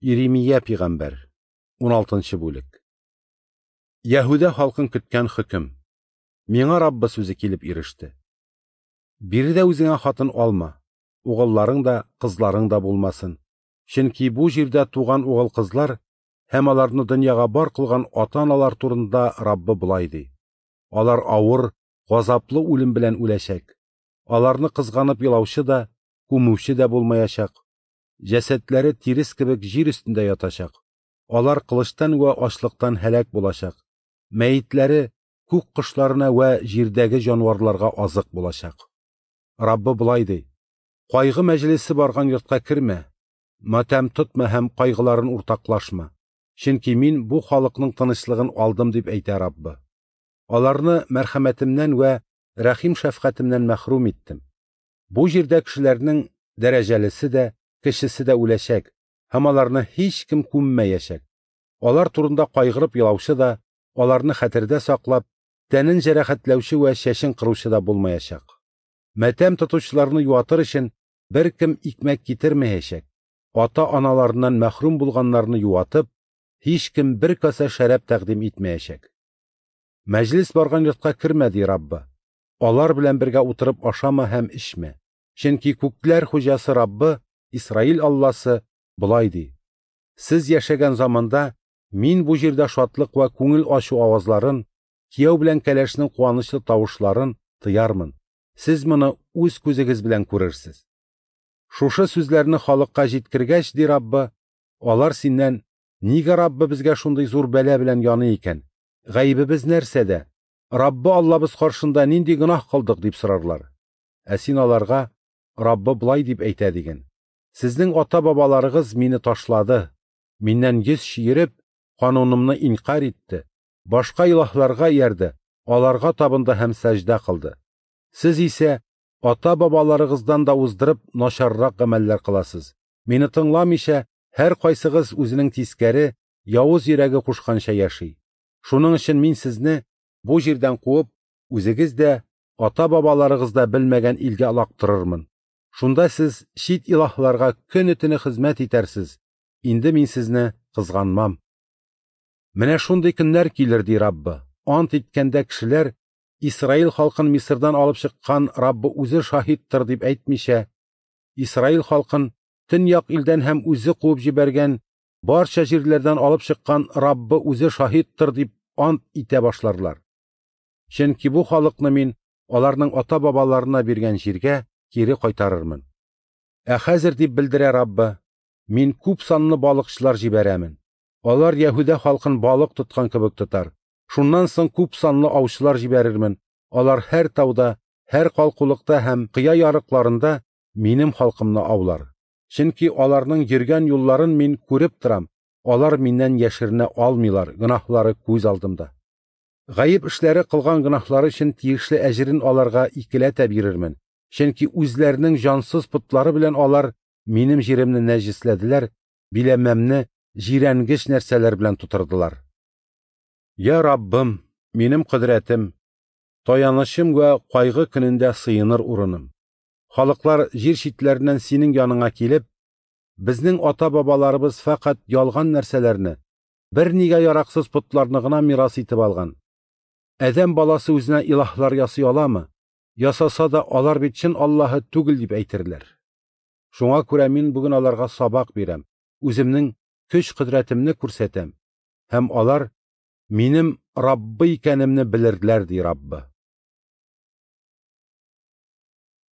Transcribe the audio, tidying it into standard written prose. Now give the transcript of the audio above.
Иремия пигамбәр, 16 бүлек. Яһүдә халкын көткән хөкем. Миңа Раббы сүзе килеп иреште. Биредә үзеңә хатын алма, угылларың да, кызларың да булмасын. Чөнки бу җирдә туган угыл-кызлар һәм аларны дөньяга бар кылган ата-аналар турында Раббы болай ди: Алар авыр, газаплы үлем белән үләчәк. Аларны кызганып елаучы да, күмүче дә булмаячак. Җәсәдләре тирес кебек җир өстендә ятачак. Алар кылычтан вә ачлыктан һәлак булачак. Мәетләре күк кошларына вә җирдәге җанварларга азык булачак. Раббы болай ди: Кайгы мәҗлесе барган йортка кермә, матәм тотма һәм кайгыларын уртаклашма. Чөнки мин бу халыкның тынычлыгын алдым, дип әйтә Раббы. Аларны мәрхәмәтемнән вә рәхим шәфкатемнән мәхрүм иттем. Бу җирдә кешеләрнең дәрәҗәлесе дә, кешесе дә үләчәк, һәм аларны һич кем күммәячәк. Алар турында кайгырып елаучы да, аларны хәтердә саклап, тәнен җәрәхәтләүче вә чәчен кыручы да булмаячак. Мәтәм тотучыларны юатыр өчен беркем икмәк китермәячәк. Ата-аналарыннан мәхрүм булганнарны юатып, һич кем бер касә шәраб тәкъдим итмәячәк. Мәҗлес барган йортка кермә, ди Раббы. Алар белән бергә утырып ашама һәм эчмә. Чөнки күкләр хуҗасы Раббы, Исраил Алласы болай ди: Сез яшәгән заманда мин бу җирдә шатлык вә күңел ачу авазларын, кияү белән кәләшнең куанычлы тавышларын тыярмын. Сез моны үз күзегез белән күрерсез. Шушы сүзләрне халыкка җиткергәч, ди Раббы, алар синнән: Нигә Раббы безгә шундый зур бәла белән яный икән? Гаебебез нәрсәдә? Раббы Аллабыз каршында нинди гөнаһ кылдык, дип сорарлар. Ә син аларга: Раббы болай дип әйтә диген: Сезнең ата-бабаларыгыз мине ташлады, миннән йөз чөереп, канунымны инкар итте, башка илаһларга иярде, аларга табынды һәм сәҗдә кылды. Сез исә ата-бабаларыгыздан да уздырып начаррак гамәлләр кыласыз. Мине тыңламыйча, һәр кайсыгыз үзенең тискәре, явыз йөрәге кушканча яши. Шуның өчен мин сезне бу җирдән куып, үзегез дә, ата-бабаларыгыз да белмәгән илгә олактырырмын. Шунда сез чит илаһларга көне-төне хезмәт итәрсез. Инде мин сезне кызганмам. Менә шундый көннәр килер, ди Раббы. Ант иткәндә кешеләр Исраил халкын Мисырдан алып чыккан Раббы үзе шаһиттыр дип әйтмичә, Исраил халкын төньяк илдән һәм үзе куып җибәргән барча җирләрдән алып чыккан Раббы үзе шаһиттыр дип ант итә башларлар. Чөнки бу халыкны мин аларның ата-бабаларына биргән җиргә кире кайтарырмын. Ә хәзер, дип белдерә Раббы, мин күп санлы балыкчылар җибәрәмен. Алар Яһүдә халкын балык тоткан кебек тотар. Шуннан соң күп санлы аучылар җибәрермен. Алар һәр тауда, һәр калкулыкта һәм кыя ярыкларында минем халкымны аулар. Чөнки аларның йөргән юлларын мин күреп торам. Алар миннән яшеренә алмыйлар, гөнаһлары күз алдымда. Гаеп эшләре кылган гөнаһлары өчен тиешле әҗерен аларга икеләтә бирермен. Чөнки үзләренең җансыз потлары белән алар минем җиремне нәҗесләделәр, биләмәмне җирәнгеч нәрсәләр белән тутырдылар. Я Раббым, минем кодрәтем, таянычым вә кайгы көнендә сыеныр урыным. Халыклар җир читләреннән синең яныңа килеп, безнең ата-бабаларыбыз фәкать ялган нәрсәләрне, бер нигә яраксыз потларны гына мирас итеп алган. Адәм баласы үзенә илаһлар ясый аламы? Ясаса да алар бит чын Аллаһы түгел дип әйтерләр. Шуңа күрә мин бүген аларга сабак бирәм, үземнең көч кодрәтемне күрсәтәм, һәм алар минем Раббы икәнемне белерләр, ди Раббы.